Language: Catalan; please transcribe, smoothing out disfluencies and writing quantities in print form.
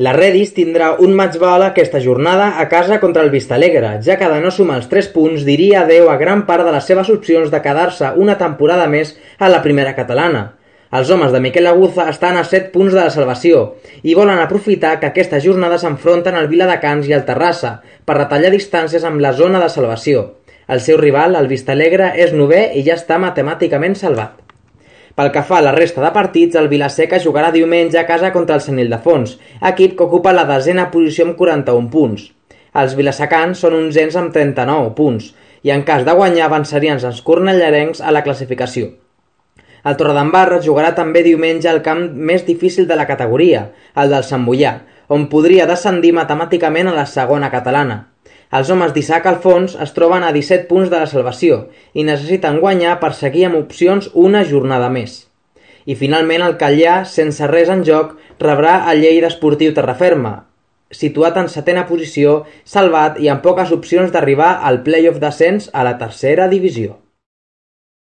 La Redis tindrà un match ball aquesta jornada a casa contra el Vistalegre, ja que de no sumar els 3 punts diria adeu a gran part de les seves opcions de quedar-se una temporada més a la primera catalana. Els homes de Miquel Aguza estan a 7 punts de la salvació i volen aprofitar que aquesta jornada s'enfronten al Viladecans i al Terrassa per retallar distàncies amb la zona de salvació. El seu rival, el Vistalegre, és 9è i ja està matemàticament salvat. Pel que fa a la resta de partits, el Vilaseca jugarà diumenge a casa contra el Sant Ildefons, equip que ocupa la 10a posició amb 41 punts. Els vilasecans són 11ens amb 39 punts i en cas de guanyar avançarien els cornellarencs a la classificació. El Torredembarra jugarà també diumenge al camp més difícil de la categoria, el del Sant Boià, on podria descendir matemàticament a la segona catalana. Els homes d'Isaac Alfons es troben a 17 punts de la salvació i necessiten guanyar per seguir amb opcions una jornada més. I finalment el Calllà, sense res en joc, rebrà el Lleida Esportiu Terraferma, situat en 7a posició, salvat i amb poques opcions d'arribar al play-off d'ascens a la tercera divisió.